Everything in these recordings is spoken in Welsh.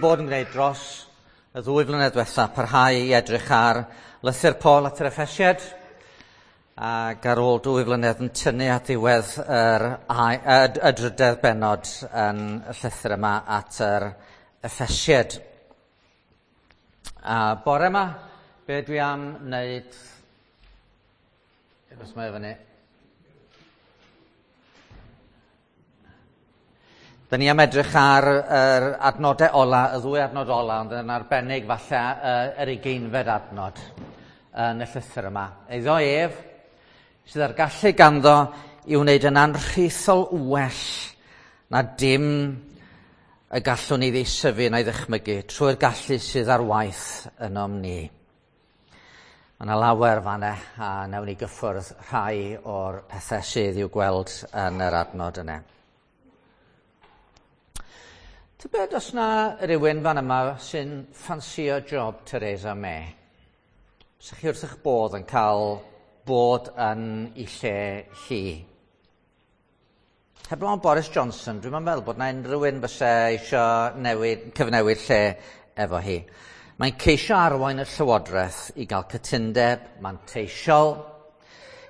Bod yn gwneud dros y 2 flynedd diwetha, parhau i edrych ar lythyr Paul at yr Effesiaid, ac ar ôl 2 flynedd yn tynnu at ddiwedd y drydedd bennod yn y llythyr yma at yr Effesiaid. A bore yma, be dwi am wneud... Os mae fyny. Da ni am edrych ar yr adnodau ola, y 2 adnod ola, ond yn arbennig falle yr 20fed adnod yn y llythyr yma. Eiddo ef sydd â'r gallu ganddo i wneud yn anrhaethol well na dim y gallwn ni ddeisyfu na'i ddychmygu trwy'r gallu sydd ar waith ynom ni. Mae yna lawer fanna a nawn ni gyffwrdd rhai o'r pethau sydd i'w gweld yn yr adnod yna. Tybed os na rywun fan yma sy'n ffansio job Theresa May? Sa chi wrth eich bodd yn cael bod yn ei lle hi? Heblaw am Boris Johnson, dwi'm yn meddwl bod na unrhyw un fysa eisiau cyfnewid lle efo hi. Mae'n ceisio arwain y Llywodraeth i gael cytundeb manteisiol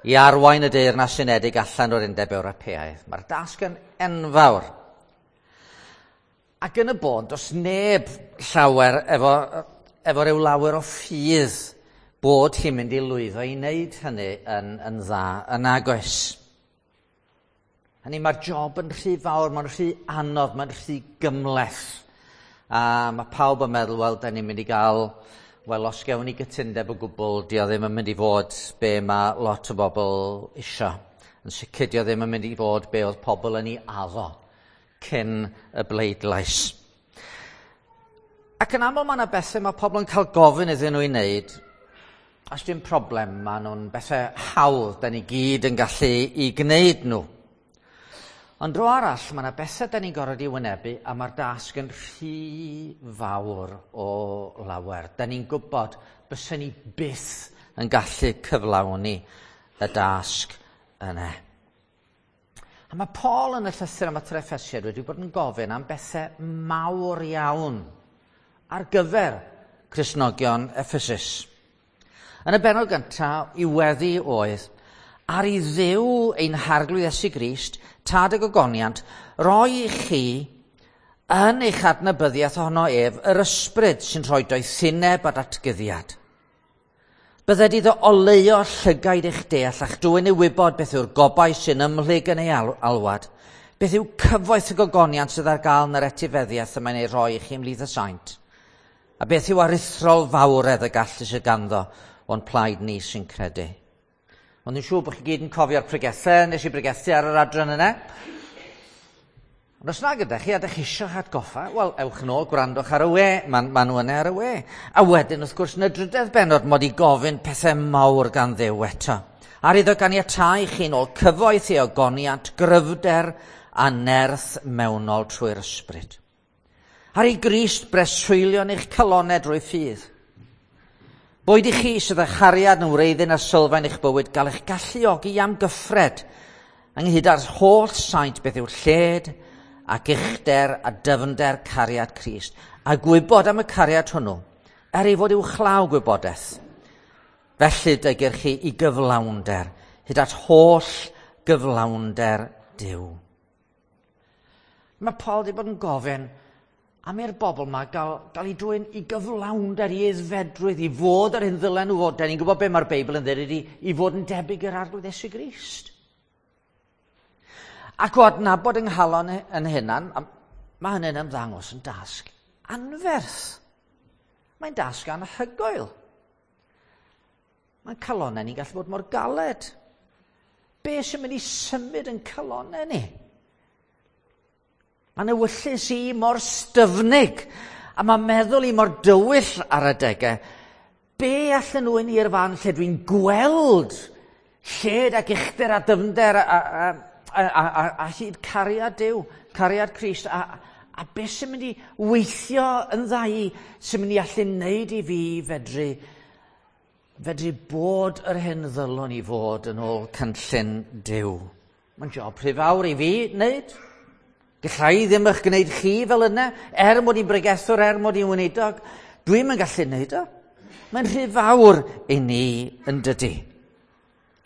i arwain y Deyrnas Unedig allan o'r Undeb Ewropeaidd. Mae'r dasg yn enfawr. Ac yn y bôn, does neb llawer efo ryw lawer o ffydd bod hi'n mynd i lwyddo i wneud hynny yn dda yn nagoes. Hynny, mae'r job yn rhy fawr, mae'n rhy anodd, mae'n rhy gymhleth. A mae pawb yn meddwl, wel, da ni'n mynd i gael, wel, os gewn ni gytundeb o gwbl, dio ddim yn mynd i fod be mae lot o bobl isio. Yn sicr, dio ddim yn mynd i fod be oedd pobl yn ei addo cyn y bleidlais. Ac yn aml mae yna bethau mae pobl yn cael gofyn iddyn nhw i wneud, os dim problem, maen nhw'n bethau hawdd, da ni gyd yn gallu i gwneud nhw. Ond dro arall, mae yna bethau da ni'n gorfod i wynebu a mae'r dasg yn rhy fawr o lawer. Da ni'n gwybod bysen ni byth yn gallu cyflawni y dasg yna. A mae Paul yn y llythyr am at yr Effesiaid wedi bod yn gofyn am bethau mawr iawn ar gyfer Cristnogion Ephesus. Yn y bennod gyntaf, i weddi oedd, ar i Dduw ein Harglwydd Iesu Grist, tad y gogoniant, roi i chi yn eich adnabyddiaeth ohono ef yr ysbryd sy'n rhoi doethineb a datguddiad. Bydded iddo oleuo llygaid eich deall a'ch dwyn i wybod beth yw'r gobaith sy'n ymhlyg yn ei alwad, beth yw cyfoeth y gogoniant sydd ar gael yn yr etifeddiaeth y mae'n ei rhoi i chi ymhlith y saint, a beth yw aruthrol fawredd y gallu sydd ganddo o'n plaid ni sy'n credu. Ond dwi'n siŵr bod chi gyd yn cofio'r pregethau, nes i bregethu ar yr adran yna. Ond os na gyda chi, a dych chi eisiau atgoffa, wel, ewch nôl, gwrandwch ar y we, ma nhw yna ar y we. A wedyn, wrth gwrs, yn y drydedd bennod, mod i gofyn pethau mawr gan Dduw eto. Ar iddo ganiatáu chi nôl cyfoeth i ogoniant, gryfder a nerth mewnol trwy'r ysbryd. Ar ei Grist breswylio yn eich calonau drwy ffydd. Boed i chi sydd â chariad yn wreiddyn a sylfaen eich bywyd gael eich galluogi am gyffred ynghyd â'r holl saint beth yw lled ac uchder a dyfnder cariad Crist, a gwybod am y cariad hwnnw, er ei fod uwchlaw gwybodaeth. Felly dygir chi i gyflawnder, hyd at holl gyflawnder Duw. Mae Paul wedi bod yn gofyn am i'r bobl yma gael ei dwyn i gyflawnder, i aeddfedrwydd, i fod yr hyn ddylen nhw fod. Da ni'n gwybod be mae'r Beibl yn dweud ydy i fod yn debyg i'r Arglwydd Iesu Grist. Ac o adnabod yng nghalon yn hunan, mae hynny'n ymddangos yn dasg anferth. Mae'n dasg anhygoel. Mae'n calonnau ni'n gallu bod mor galed. Be sy'n mynd i symud yn calonnau ni? Mae'n ewyllys i mor styfnig, a mae'n meddwl i mor dywyll ar adegau. Be allan nhw yn i'r fan lle dwi'n gweld lled ac uchder a dyfnder a hyd cariad Duw, cariad Crist, a beth sy'n mynd i weithio yn dda i, sy'n mynd i allu wneud i fi fedru bod yr hyn ddylwn i fod yn ôl cynllun Duw. Mae'n job rhy fawr i fi wneud. Galla i ddim eich gwneud chi fel yna, er mod i'n bregethwr, er mod i'n weinidog. Dwi'm yn gallu gwneud o. Mae'n rhy fawr i ni yn dydy.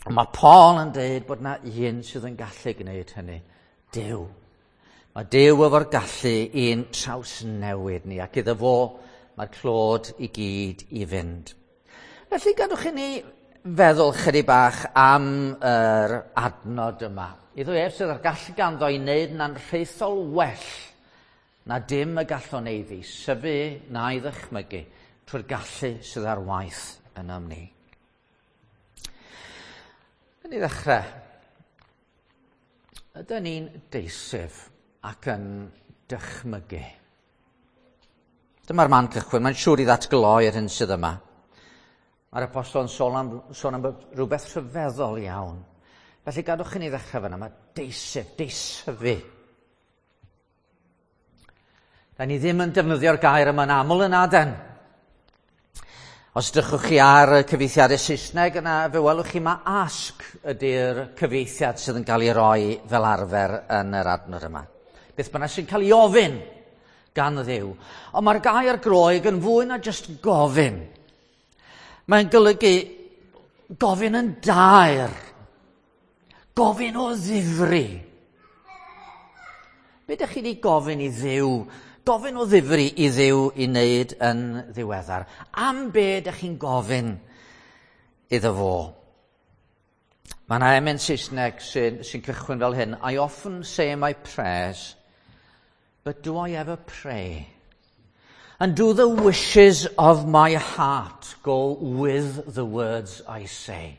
Ond mae Paul yn dweud bod yna un sydd yn gallu gwneud hynny. Duw. Mae Duw efo'r gallu i'n trawsnewid ni, ac iddo fo mae'r clod i gyd i fynd. Felly gadwch i ni feddwl chydig bach am yr adnod yma. Iddo ef sydd â'r gallu ganddo i wneud yn anrhaethol well na dim y gallwn ei ddeisyfu na'i ddychmygu trwy'r gallu sydd ar waith ynom ni. Yn i ddechrau, ydyn ni'n deisyf ac yn dychmygu? Dyma'r man cychwyn, mae'n siŵr i ddatgloi'r hyn sydd yma. Mae'r apostol yn sôn am rhywbeth rhyfeddol iawn. Felly gadwch i ni ddechrau fyna, mae deisyf, deisyfu. Da ni ddim yn defnyddio'r gair yma'n aml yn aden. Os drychwch chi ar y cyfieithiadau Saesneg, yna fe welwch chi mae ask ydy'r cyfieithiad sydd yn cael ei roi fel arfer yn yr adnod yma. Beth bynnag sy'n cael ei ofyn gan Dduw. Ond mae'r gair Groeg yn fwy na jyst gofyn. Mae'n golygu gofyn yn daer. Gofyn o ddifri. Be ydych chi wedi gofyn i Dduw? Gofyn o ddifri i Dduw i wneud yn ddiweddar. Am be ydych chi'n gofyn iddo fo? Mae yna emyn Saesneg sy'n cychwyn fel hyn. I often say my prayers, but do I ever pray? And do the wishes of my heart go with the words I say?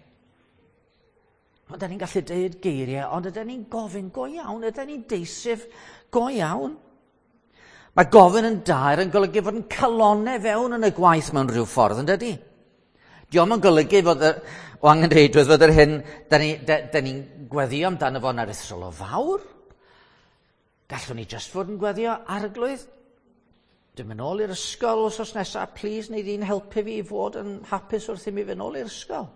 Ond da ni'n gallu deud geiriau, ond ydyn ni'n gofyn go iawn, ydyn ni'n deisyf go iawn. Mae gofyn yn daer yn golygu fod yn calonau fewn yn y gwaith mewn rhyw ffordd, yn dydy? Dio'm yn golygu fod o angenrheidrwydd fod yr hyn da ni'n gweddio amdano fo'n aruthrol o fawr. Gallwn ni jyst fod yn gweddio, Arglwydd, dwi'n mynd nôl i'r ysgol wythnos nesaf, please, neu di'n helpu fi i fod yn hapus wrth i mi fynd nôl i'r ysgol.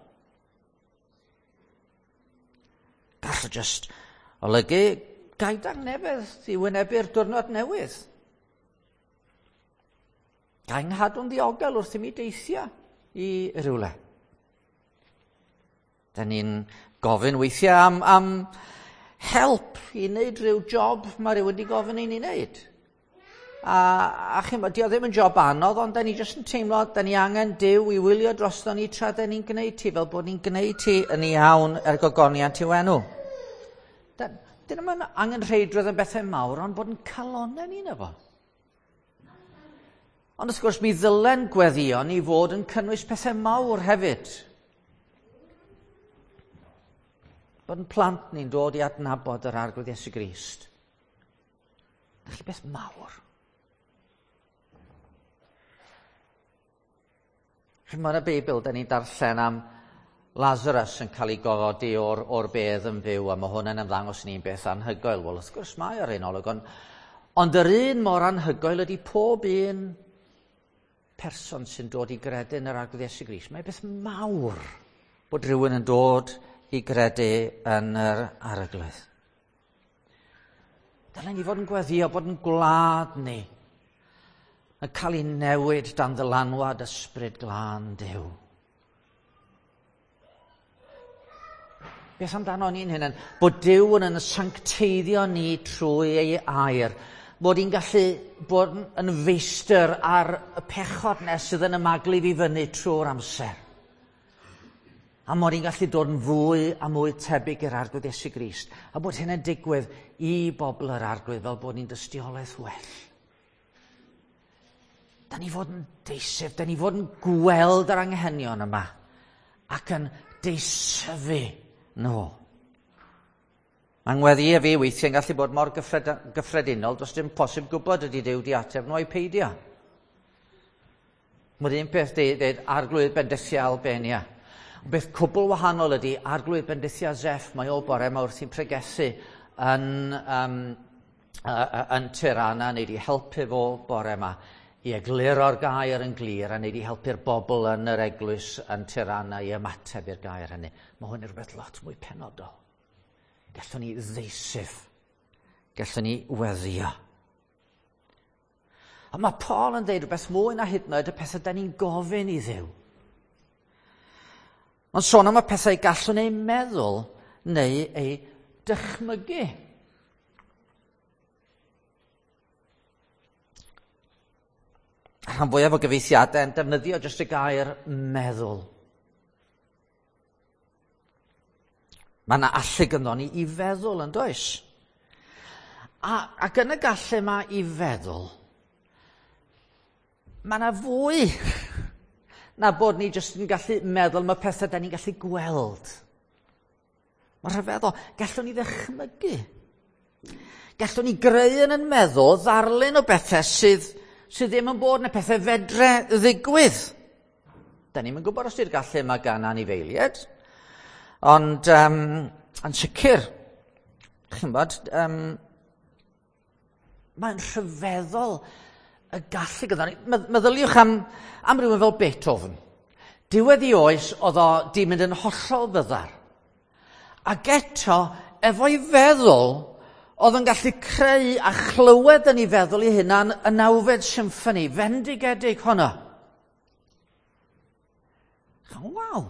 Gall o jyst olygu gai dangnefedd i wynebu'r diwrnod newydd. Gai nghadw'n ddiogel wrth i mi deithio i rywle. Da ni'n gofyn weithiau am help i wneud rhyw job mae rhywun wedi gofyn i ni wneud. A chi'n dio ddim yn job anodd, ond da ni jyst yn teimlo, da ni angen Duw i wylio drosto ni tra da ni'n gwneud ti, fel bod ni'n gwneud ti yn iawn er gogoniant i'w enw. Dyn nhw'n angenrheidrwydd yn bethau mawr, ond bod yn calonau ni na fo. Ond wrth gwrs, mi ddylen gweddïo ni fod yn cynnwys pethau mawr hefyd. Bod yn plant ni'n dod i adnabod yr Arglwydd Iesu Grist. Felly beth mawr. Chimod y Beibl, da ni'n darllen am Lazarus yn cael ei gofodi o'r bedd yn fyw, a mae hwn yn ymddangos ni'n beth anhygoel. Wel, wrth gwrs mae ar un olwg, ond yr un mor anhygoel ydy pob un person sy'n dod i gredu yn yr Arglwydd Iesu Grist. Mae beth mawr bod rhywun yn dod i gredu yn yr Arglwydd. Dylen ni fod yn gweddio bod yn gwlad ni yn cael ei newid dan ddylanwad ysbryd glân Duw. Beth amdano ni'n hynny? Bod Duw yn sancteiddio ni trwy ei air. Bod ni'n gallu bod yn feistr ar y pechod nes sydd yn ymaglu fi fyny trwy'r amser. A mod i'n gallu dod yn fwy a mwy tebyg i'r Arglwydd Iesu Grist. A bod hyn yn digwydd i bobl yr Arglwydd fel bod ni'n dystiolaeth well. Da ni fod yn deisyf, da ni fod yn gweld yr anghenion yma ac yn deisyfu nhw. Mae ngweddi fi weithiau'n gallu bod mor gyffredinol, does dim posib gwybod ydy Duw di ateb nhw ai peidio. Mae'r un peth dweud Arglwydd bendithia Albania. Ond beth cwbl wahanol ydy Arglwydd bendithia Zeff, mae o bore yma wrth i'n pregethu yn Tirana, neu di helpu fo bore yma i egluro'r gair yn glir a neu di helpu'r bobl yn yr eglwys yn Tirana i ymateb i'r gair hynny. Mae hwn yn rhywbeth lot mwy penodol. Gallwn ni ddeisyf. Gallwn ni weddio. Ond mae Paul yn dweud rhywbeth mwy na hyd yn oed y pethau da ni'n gofyn i Dduw. Mae'n sôn am y pethau gallwn eu meddwl neu eu dychmygu. Rhan fwyaf o gyfeithiadau yn defnyddio jyst y gair meddwl. Mae yna allu gynddon ni i feddwl yn does? Ac yn y gallu yma i feddwl, mae yna fwy na bod ni jyst yn gallu meddwl am y pethau da ni'n gallu gweld. Mae'n rhyfeddol. Gallwn ni ddychmygu. Gallwn ni greu yn yn meddwl ddarlun o bethau sydd ddim yn bod yn y pethau fedre ddigwydd. Da ni'm yn gwybod os di'r gallu yma gan anifeiliaid, ond yn sicr, chi'n bod, mae'n rhyfeddol y gallu gyda ni. Meddyliwch am rhywun fel Beethoven. Diwedd ei oes oedd o di mynd yn hollol fyddar. Ac eto, efo'i feddwl, oedd yn gallu creu a chlywed yn ei feddwl ei hunan y nawfed symffoni, fendigedig honno. Waw!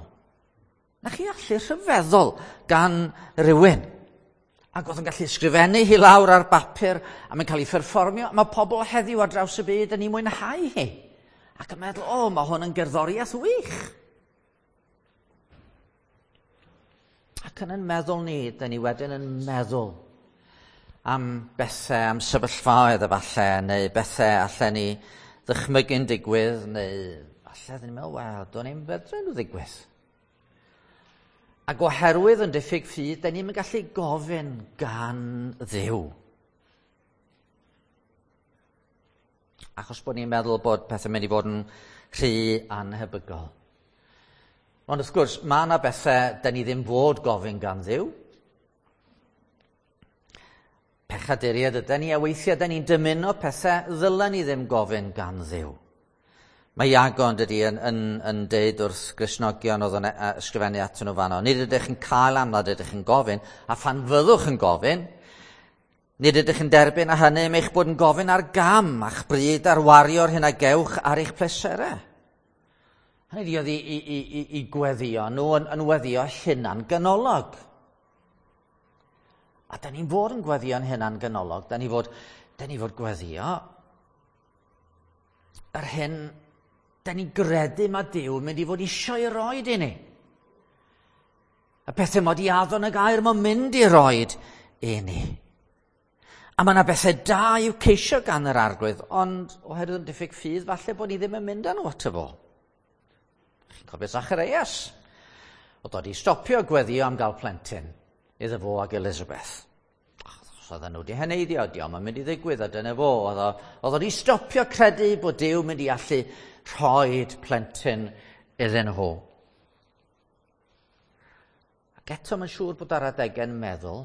Na chi allu rhyfeddol gan rywun. Ac oedd yn gallu ysgrifennu hi lawr ar bapur a mae'n cael ei pherfformio. Mae pobl heddiw ar draws y byd yn ei mwynhau hi. Ac yn meddwl, o, mae hwn yn gerddoriaeth wych. Ac yn meddwl ni, da ni wedyn yn meddwl am bethau, am sefyllfaoedd efallai, neu bethau allan ni ddychmygu'n digwydd, neu falle dyn ni'n meddwl, wel, do'n i'n fedru nhw ddigwydd. Ac oherwydd yn diffyg ffydd, da ni'n gallu gofyn gan Dduw. Achos bod ni'n meddwl bod pethau'n mynd i fod yn rhy anhebygol. Ond wrth gwrs, mae yna bethau da ni ddim fod gofyn gan Dduw. Pechaduriaid ydy ni, a weithiau da ni'n dymuno pethau ddylen ni ddim gofyn gan Dduw. Mae Iago yn dydi yn deud wrth Gristnogion oedd yn ysgrifennu atyn nhw fanno, nid ydych yn cael am nad ydych yn gofyn, a phan fyddwch yn gofyn, nid ydych yn derbyn a hynny am eich bod yn gofyn ar gam a'ch bryd ar wario'r hyn a gewch ar eich pleserau. Hynny ydi oedd i gweddio nhw yn weddio hunan ganolog. A da ni'n fod yn gweddio'n hunan ganolog, da ni fod gweddio yr hyn da ni'n gredu mae Duw yn mynd i fod eisiau i roed i ni. Y pethau mod i addo yn y gair mae'n mynd i roed i ni. A mae yna bethau da i'w ceisio gan yr Arglwydd, ond oherwydd yn diffyg ffydd, falle bod ni ddim yn mynd â nhw ato fo. Chi'n cofio Zacharias? Oedd o 'di stopio gweddio am gael plentyn iddo fo ag Elizabeth. Achos oedden nhw wedi heneiddio, dio'm yn mynd i ddigwydd, a dyna fo. Oedd o 'di stopio credu bod Duw mynd i allu rhoid plentyn iddyn nhw. Ac eto mae'n siŵr bod ar adegau'n meddwl,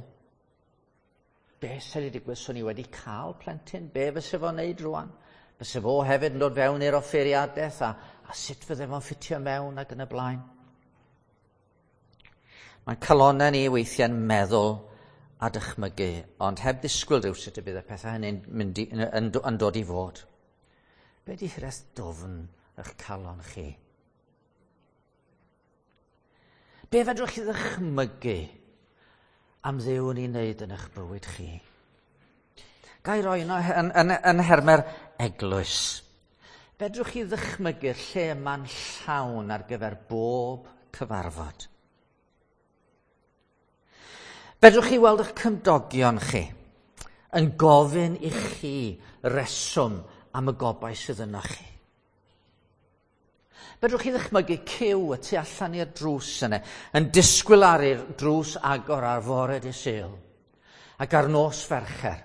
beth sydd wedi digwydd swn i wedi cael plentyn? Be fyse fo'n neud rwan? Fyse fo hefyd yn dod fewn i'r offeiriadaeth a sut fydde fo'n ffitio mewn ac yn y blaen? Mae'n calonnau ni weithiau'n meddwl a dychmygu, ond heb ddisgwyl rhywsut y bydd y pethau hynny'n mynd yn dod i fod. Be di hiraeth dwfn eich calon chi? Be fedrwch chi ddychmygu am Dduw yn ei wneud yn eich bywyd chi? Ga i roi yno yn hermer eglwys. Fedrwch chi ddychmygu'r lle yma'n llawn ar gyfer bob cyfarfod? Fedrwch chi weld eich cymdogion chi yn gofyn i chi reswm am y gobaith sydd yno chi? Fedrwch chi ddychmygu cyw y tu allan i'r drws yna, yn disgwyl ar i'r drws agor ar fore dydd Sul, ac ar nos Fercher,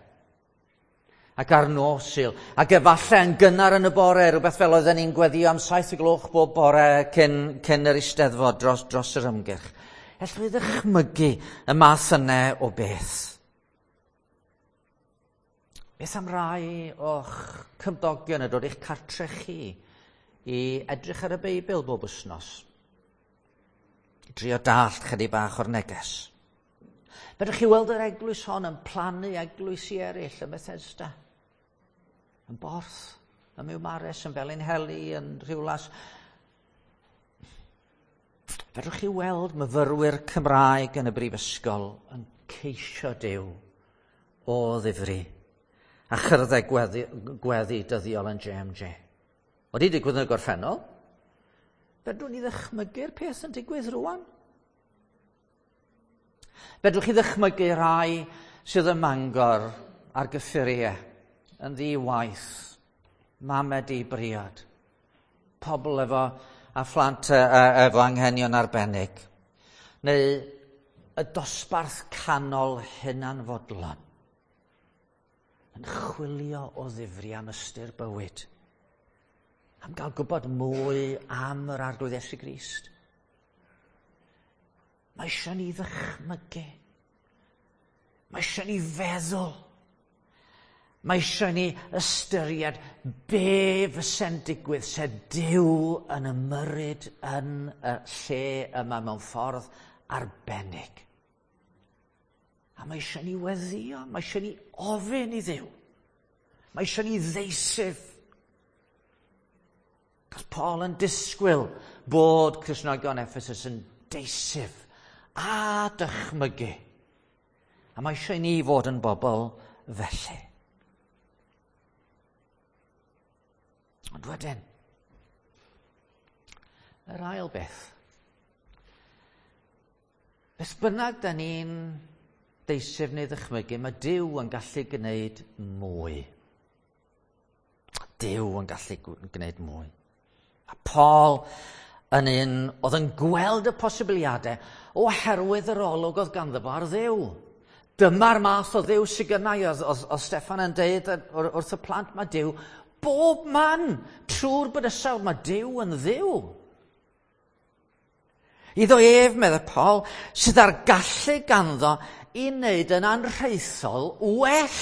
ac ar nos Sul, ac efallai yn gynnar yn y bore, rhywbeth fel oedden ni'n gweddio am 7 gloch bob bore cyn yr Eisteddfod dros yr ymgyrch. Ellwch chi ddychmygu y math yna o beth? Beth am rai o'ch cymdogion yn dod i'ch cartre chi i edrych ar y Beibl bob wythnos? Drio dallt chydig bach o'r neges. Fedrwch chi weld yr eglwys hon yn plannu eglwysi eraill ym Methesda, yn Borth, ym Miwmares, yn Felinheli, yn Rhiwlas. Fedrwch chi weld myfyrwyr Cymraeg yn y brifysgol yn ceisio Duw o ddifri a chyrddau gweddi, gweddi dyddiol yn JMJ. Wedi digwydd yn y gorffennol, fedrwn ni ddychmygu'r peth yn digwydd rwan. Fedrwch chi ddychmygu rhai sydd ym Mangor ar gyffuriau, yn ddi-waith, mame di briod, pobl efo a phlant efo anghenion arbennig, neu y dosbarth canol hunanfodlon, yn chwilio o ddifri am ystyr bywyd, am gael gwybod mwy am yr Arglwydd Iesu Grist. Mae eisiau ni ddychmygu. Mae eisiau ni feddwl. Mae eisiau ni ystyried be fyse'n digwydd se Duw yn ymyrryd yn y lle yma mewn ffordd arbennig. A mae eisiau ni weddio, mae eisiau ni ofyn i Dduw. Mae eisiau ni ddeisyf. Cos Paul yn disgwyl bod Cristnogion Ephesus yn deisyf a dychmygu. A mae eisiau ni fod yn bobl felly. Ond wedyn, yr ail beth. Beth bynnag da ni'n deisyf neu ddychmygu, mae Duw yn gallu gwneud mwy. Duw yn gallu gwneud mwy. A Paul yn un oedd yn gweld y posibiliadau oherwydd yr olwg oedd ganddo fo ar Dduw. Dyma'r math o Dduw sydd gynnau, oedd, oedd, oedd Steffan yn deud wrth y plant, mae Duw bob man trwy'r bydysawd, mae Duw yn Dduw. Iddo ef, meddai Paul, sydd â'r gallu ganddo i wneud yn anrhaethol well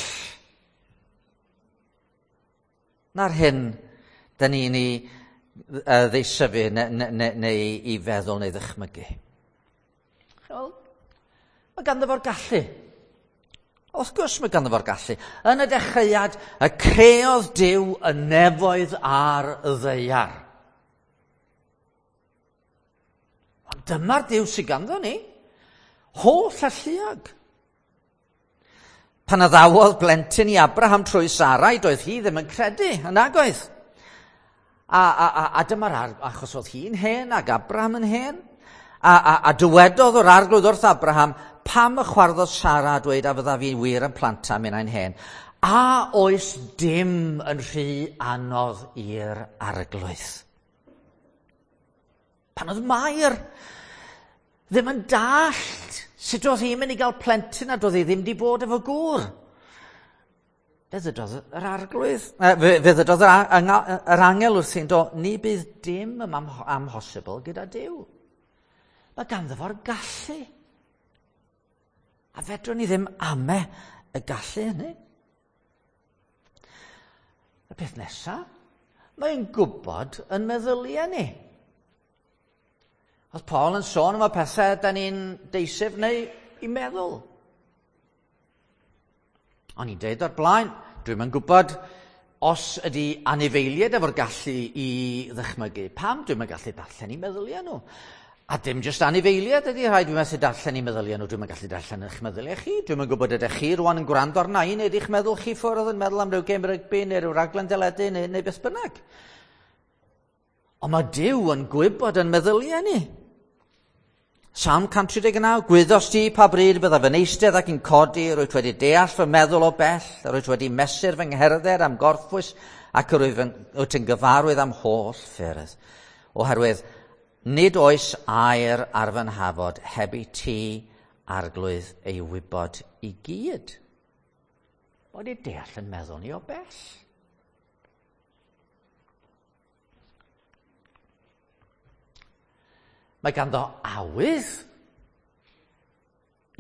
na'r hyn dyn ni'n ei ddeisyfu neu, neu, neu i feddwl neu ddychmygu. Wel, mae ganddo fo'r gallu. Wrth gwrs mae ganddo fo'r gallu. Yn y dechreuad, y creodd Duw y nefoedd a'r ddaear. Ond dyma'r Duw sydd ganddo ni. Holl alluog. Pan addawodd blentyn i Abraham trwy Sarai, doedd hi ddim yn credu, yn agoedd. A, a, a, a dyma'r achos oedd hi'n hen ac Abraham yn hen. A, a, a dywedodd o'r arglwydd wrth Abraham, pam y chwarddodd Sara a dweud a fydda fi wir yn planta minnau'n hen. A oes dim yn rhy anodd i'r arglwydd? Pan oedd Mair ddim yn dallt sut oedd hi'n mynd i gael plentyn a doedd hi ddim wedi bod efo gŵr. Fe ddydodd yr arglwydd, fe, fe ddydodd yr, yr angel wrthi'n do, ni bydd dim ym amhosibl gyda Duw. Mae ganddo fo'r gallu. A fedrwn ni ddim ame y gallu hynny. Y peth nesaf, mae'n gwybod yn meddyliau ni. Oedd Paul yn sôn am y pethau da ni'n deisif neu i meddwl. O'n i'n deud o'r blaen, dwi'm yn gwybod os ydy anifeiliaid efo'r gallu i ddychmygu. Pam dwi'm yn gallu darllen i meddyliau nhw? A dim jyst anifeiliaid ydy rhai dwi'n methu darllen i meddyliau nhw, dwi'm yn gallu darllen eich meddyliau chi. Dwi'm yn gwybod ydych chi rwan yn gwrando arna i neu ydych meddwl chi ffwrdd yn meddwl am ryw gêm rygbi neu ryw raglen deledu neu, neu beth bynnag. Ond mae Duw yn gwybod yn meddyliau ni. Salm 139, gwyddos di pa bryd byddaf yn eistedd ac yn codi, rwyt wedi deall fy meddwl o bell, rwyt wedi mesur fy ngherdded am gorffwys, ac rwyt yn gyfarwydd am holl ffyrdd. Oherwydd, nid oes air ar fy nhafod heb i ti, arglwydd, ei wybod i gyd. Wedi deall yn meddwl ni o bell. Mae ganddo awydd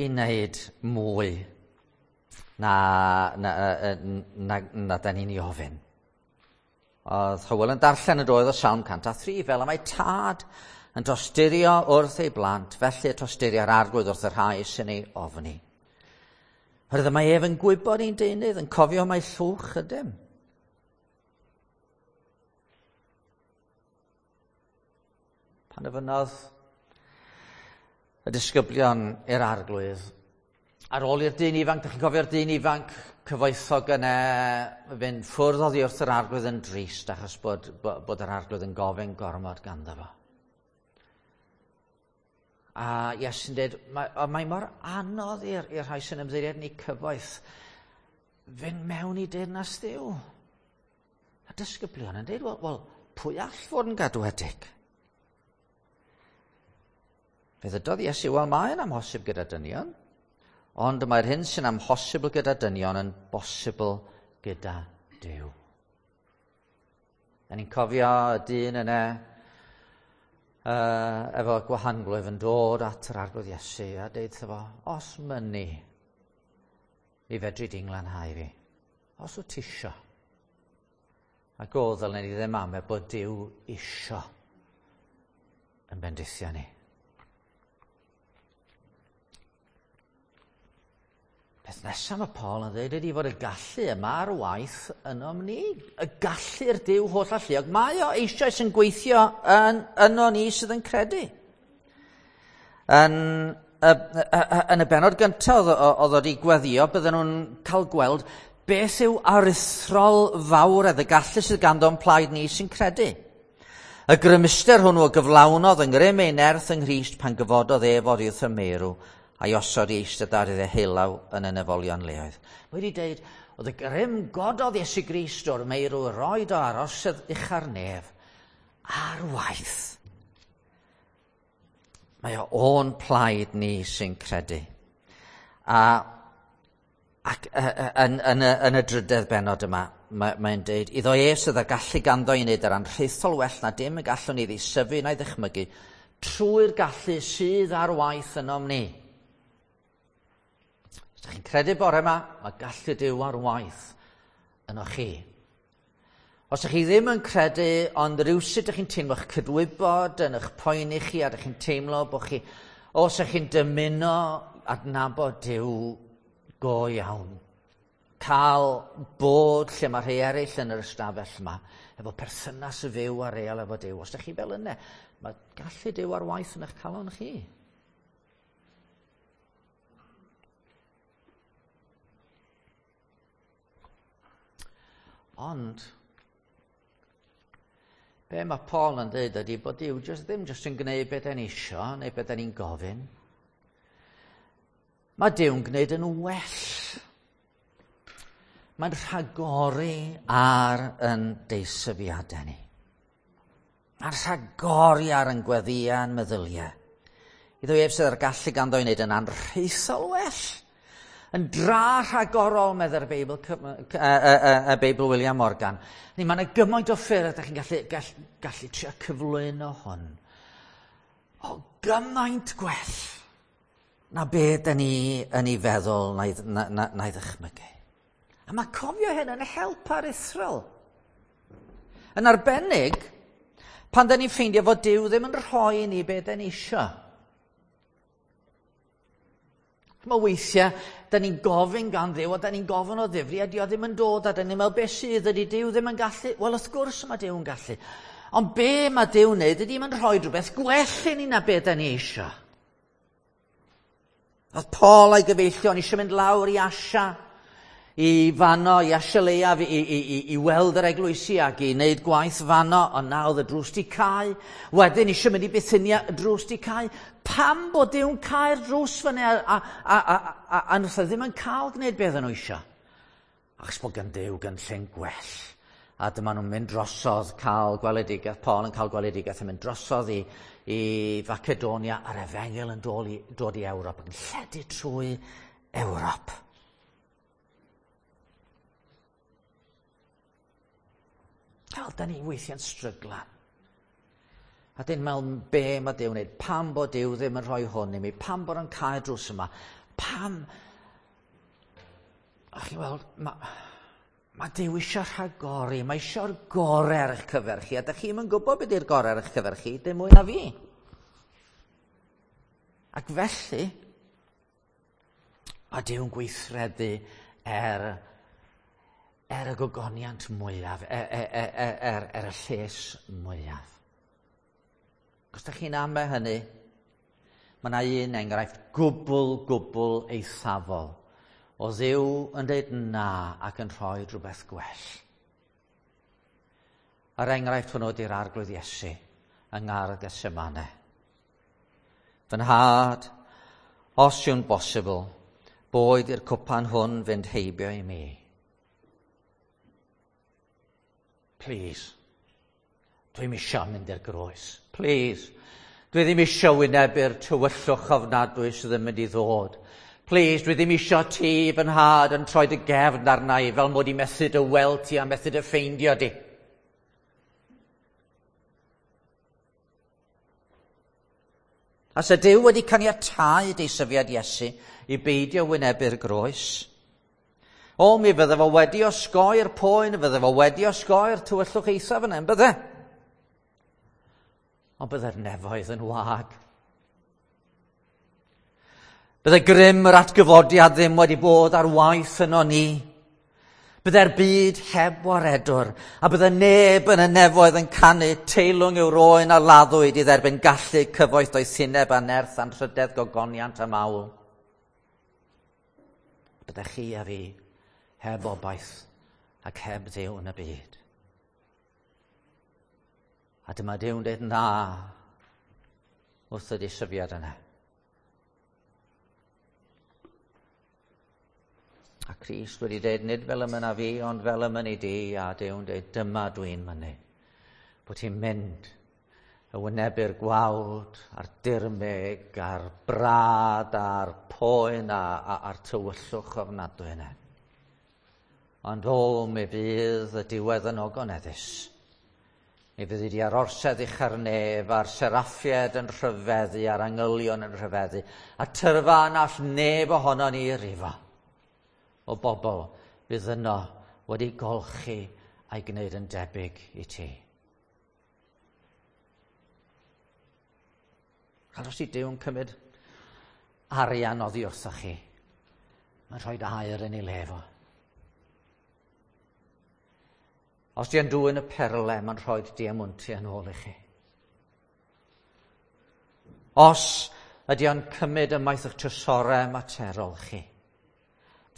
i wneud mwy na, na, na, na, na da ni'n ei ofyn. Oedd Hywel yn darllen yn doedd o Salm 103, fel y mae tad yn tosturio wrth ei blant, felly y tosturia'r arglwydd wrth y rhai sy'n ei ofni. Oherwydd mae ef yn gwybod ein deunydd, yn cofio mai llwch ydym. Pan ofynnodd y disgyblion i'r arglwydd, ar ôl i'r dyn ifanc, dych chi'n cofio'r dyn ifanc cyfoethog yna fynd ffwrdd oddi wrth yr arglwydd yn drist achos bod, bod yr arglwydd yn gofyn gormod ganddo fo. A Iesu'n dweud, mae, mae mor anodd i'r rhai sy'n ymddiried yn eu cyfoeth fynd mewn i deyrnas Dduw. A disgyblion yn dweud, wel, well, pwy all fod yn gadwedig? Fe ddydodd Iesu, wel, mae'n amhosib gyda dynion, ond mae'r hyn sy'n amhosibl gyda dynion yn bosibl gyda Duw. Da ni'n cofio y dyn yna efo gwahanglwyf yn dod at yr arglwydd Iesu a deud wrtho fo, os mynni, mi fedri di'n glanhau fi. Os wyt ti isio. Ac o, ddylen ni ddim ame bod Duw isio yn bendithio ni. Peth nesaf mae Paul yn dweud ydy fod y gallu yma ar waith ynom ni. Y gallu'r Duw holl alluog. Mae o eisoes yn gweithio yn, yno ni sydd yn credu. Yn y, yn y benod gyntaf oedd o wedi gweddio, bydden nhw'n cael gweld beth yw aruthrol fawredd y gallu sydd ganddo'n plaid ni sy'n credu. Y grymuster hwnnw o gyflawnodd yng ngrym ei nerth yng Nghrist pan gyfododd ef oddi wrth y meirw a'i osod i eistedd ar ei ddeheullaw yn y nefolion leoedd. Mae wedi dweud, oedd y grym gododd Iesu Grist o'r meirw roed o arosedd ucha'r nef ar waith. Mae o o'n plaid ni sy'n credu. A ac yn, yn, y, yn y drydedd benod yma, mae'n mae dweud, iddo ef sydd â gallu ganddo i wneud yr anrhaethol well na dim y gallwn ni ddeisyfu na'i ddychmygu, trwy'r gallu sydd ar waith ynom ni. Os ydych chi'n credu bore yma, mae gallu Duw ar waith yno chi. Os ydych chi ddim yn credu, ond rhywsut ydych chi'n teimlo'ch cydwybod yn eich poeni chi, a ydych chi'n teimlo bod chi, os ydych chi'n dymuno adnabod Duw go iawn, cael bod lle mae rhai eraill yn yr ystafell yma, efo perthynas y fyw a real efo Duw. Os ydych chi fel yna, mae gallu Duw ar waith yn eich calon chi. Ond, be mae Paul yn dweud ydy bod Duw just, ddim jyst yn gwneud beth da ni isio neu beth da ni'n gofyn. Mae Duw'n gwneud yn well. Mae'n rhagori ar yn deisyfiadau ni. Mae'n rhagori ar yn gweddïau meddyliau. Iddo ef sydd ar gallu ganddo i wneud yn anrhaethol well. Yn dra rhagorol, meddai'r Beibl, y Beibl William Morgan. Ni, mae yna gymaint o ffyrdd ydych chi'n gallu, gallu, gallu trio cyflwyno hwn. O, gymaint gwell na be da ni yn ei feddwl na'i, na, na, na ddychmygu. A mae cofio hyn yn help aruthrol. Yn arbennig, pan da ni'n ffeindio fod Duw ddim yn rhoi i ni be da ni isio. Mae weithiau, da ni'n gofyn gan Dduw, a da ni'n gofyn o ddifri, a dio ddim yn dod, a da ni'n meddwl, beth sydd ydy Duw ddim yn gallu? Wel, wrth gwrs mae Duw yn gallu. Ond be mae Duw yn neud ydy mae'n rhoi rhywbeth gwell i ni na be da ni eisiau. Oedd Paul a'i gyfeillion eisiau mynd lawr i Asia, i fanno, i Asia Leiaf, i, i, i, i weld yr eglwysi ac i wneud gwaith fanno, ond na oedd y drws di cau. Wedyn eisiau mynd i Bithynia, y drws di cau. Pam bod Duw'n cau'r drws fyny a, a, a, a, a, a nhw ddim yn cael gwneud beth nhw eisiau? Achos bod gan Duw gynllun gwell. A dyma nhw'n mynd drosodd cael gweledigaeth, Paul yn cael gweledigaeth yn mynd drosodd i, i Facedonia a'r efengyl yn dod i, dod i Ewrop, yn lledu trwy Ewrop. Wel, da ni weithiau'n stryglan. A dyn meddwl be mae Duw wneud, pam bod Duw ddim yn rhoi hwn i mi, pam bod o'n cael drws yma, pam... A chi'n weld, mae Mae Duw eisiau rhagori, mae eisiau'r gorau ar eich cyfer chi, a dych chi'm yn gwybod beth yw'r gorau ar eich cyfer chi, dim mwy na fi. Ac felly, mae Duw'n gweithredu er y gogoniant mwyaf, er y lles mwyaf. Os ydych chi'n amau hynny, mae yna un enghraifft gwbl, gwbl eithafol o Dduw yn dweud na ac yn rhoi rhywbeth gwell. Yr enghraifft hwnnw ydy'r Arglwydd Iesu yng Ngardd Gethsemane. Fy nhad, os yw'n bosibl, boed i'r cwpan hwn fynd heibio i mi. Please. Dwi'm isio mynd i'r groes. Please. Dwi ddim isio wynebu'r tywyllwch ofnadwy sydd yn mynd i ddod. Please, dwi ddim isio ti, fy nhad, yn troi dy gefn arna i fel mod i methu dy weld ti a methu dy ffeindio di. A se Duw wedi caniatáu deisyfiad Iesu i beidio wynebu'r groes, o, mi fydde fo wedi osgoi'r poen, fydde fo wedi osgoi'r tywyllwch eithaf yna, yn bydde? Ond bydde'r nefoedd yn wag. Bydde grym yr atgyfodiad ddim wedi bod ar waith yno ni. Bydde'r byd heb waredwr, a bydde neb yn y nefoedd yn canu teilwng yw'r oen a laddwyd i dderbyn gallu cyfoeth doethineb a nerth anrhydedd gogoniant a mawl. Bydde chi a fi heb obaith ac heb Dduw yn y byd. A dyma Duw'n dweud na wrth y disyfiad yna. A Crist wedi dweud, nid fel y mynna fi, ond fel y mynnu di, a Duw'n dweud, dyma dwi'n mynnu. Bod ti'n mynd y wynebu'r gwawd, a'r dirmyg, a'r brad, a'r poen, a'r tywyllwch ofnadwy yna. Ond o, mi fydd y diwedd yn ogoneddus. Mi fyddi di ar orsedd ucha'r nef, a'r seraffied yn rhyfeddu, a'r angylion yn rhyfeddu, a tyrfa na all neb ohono ni rifo o bobl fydd yno wedi golchi a'i gwneud yn debyg i ti. Os ydy Duw'n cymryd arian oddi wrthoch chi, mae'n rhoi aur yn ei le fo. Os di yn dwyn y perle, mae'n rhoi diamwntiau yn ôl i chi. Os ydy o'n cymryd ymaith eich trysorau materol chi,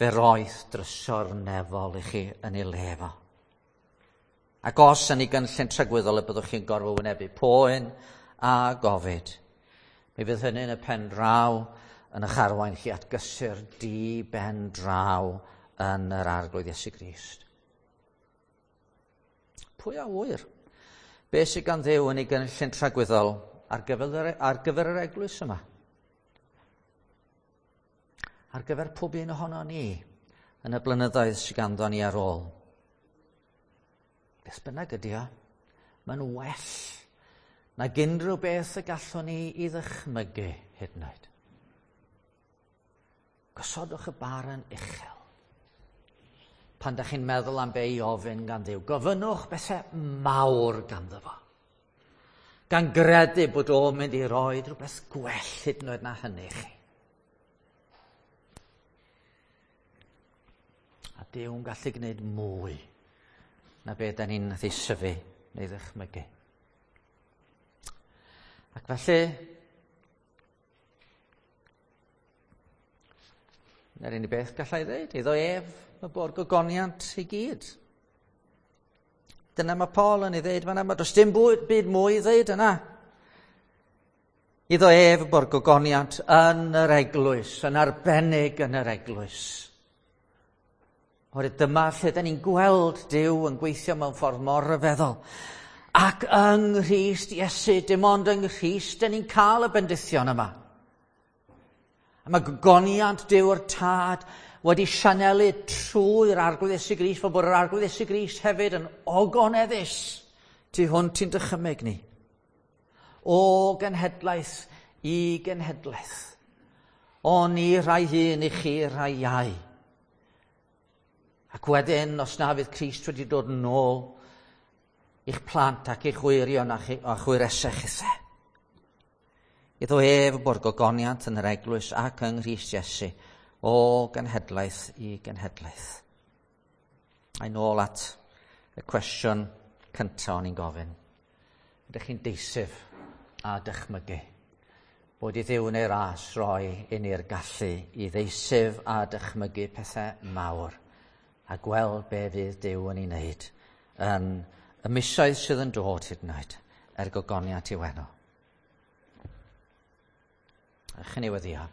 fe roeth drysor nefol i chi yn ei le fo. Ac os yn ei gynllun tragwyddol y byddwch chi'n gorfod wynebu poen a gofid, mi fydd hynny yn y pen draw yn eich arwain chi at gysur di ben draw yn yr Arglwydd Iesu Grist. Pwy a ŵyr? Be sydd gan Dduw yn ei gynllun tragwyddol ar gyfer yr eglwys yma? Ar gyfer pob un ohono ni yn y blynyddoedd sydd ganddo ni ar ôl. Beth bynnag ydy o, mae'n well nag unrhyw beth y gallwn ni i ddychmygu hyd yn oed. Gosodwch y bar yn uchel. Pan da chi'n meddwl am be i ofyn gan Dduw, gofynnwch bethau mawr ganddo fo. Gan gredu bod o'n mynd i roi rhywbeth gwell hyd yn oed na hynny i chi. A Duw'n gallu gwneud mwy na be da ni'n ddeisyfu neu ddychmygu. Ac felly, na'r unig beth gallai ddeud, iddo ef y bo'r gogoniant i gyd. Dyna mae Paul yn ei ddeud fan'na, mae does dim byd mwy i ddeud yna. Iddo ef y bo'r gogoniant yn yr eglwys, yn arbennig yn yr eglwys. Oherwydd dyma lle da ni'n gweld Duw yn gweithio mewn ffordd mor ryfeddol. Ac yng Nghrist Iesu, dim ond yng Nghrist, da ni'n cael y bendithion yma. A mae gogoniant Duw'r Tad wedi sianelu trwy'r Arglwydd Iesu Grist, fel bod yr Arglwydd Iesu Grist hefyd yn ogoneddus tu hwnt i'n dychymyg ni. O genhedlaeth i genhedlaeth. O ni rhai hŷn i chi rhai iau. Ac wedyn, os na fydd Crist wedi dod yn ôl i'ch plant ac i'ch wyrion a chwyresau chithe. Iddo ef bod gogoniant yn yr eglwys ac yng Nghrist Iesu o genhedlaeth i genhedlaeth. A'i nôl at y cwestiwn cyntaf o'n i'n gofyn. Ydych chi'n deisyf a dychmygu? Bod i Dduw neu ras roi i ni'r gallu i ddeisyf a dychmygu pethau mawr a gweld be fydd Duw yn ei wneud yn y misoedd sydd yn dod hyd yn oed er gogoniant i'w enw. Ewch i ni weddïo.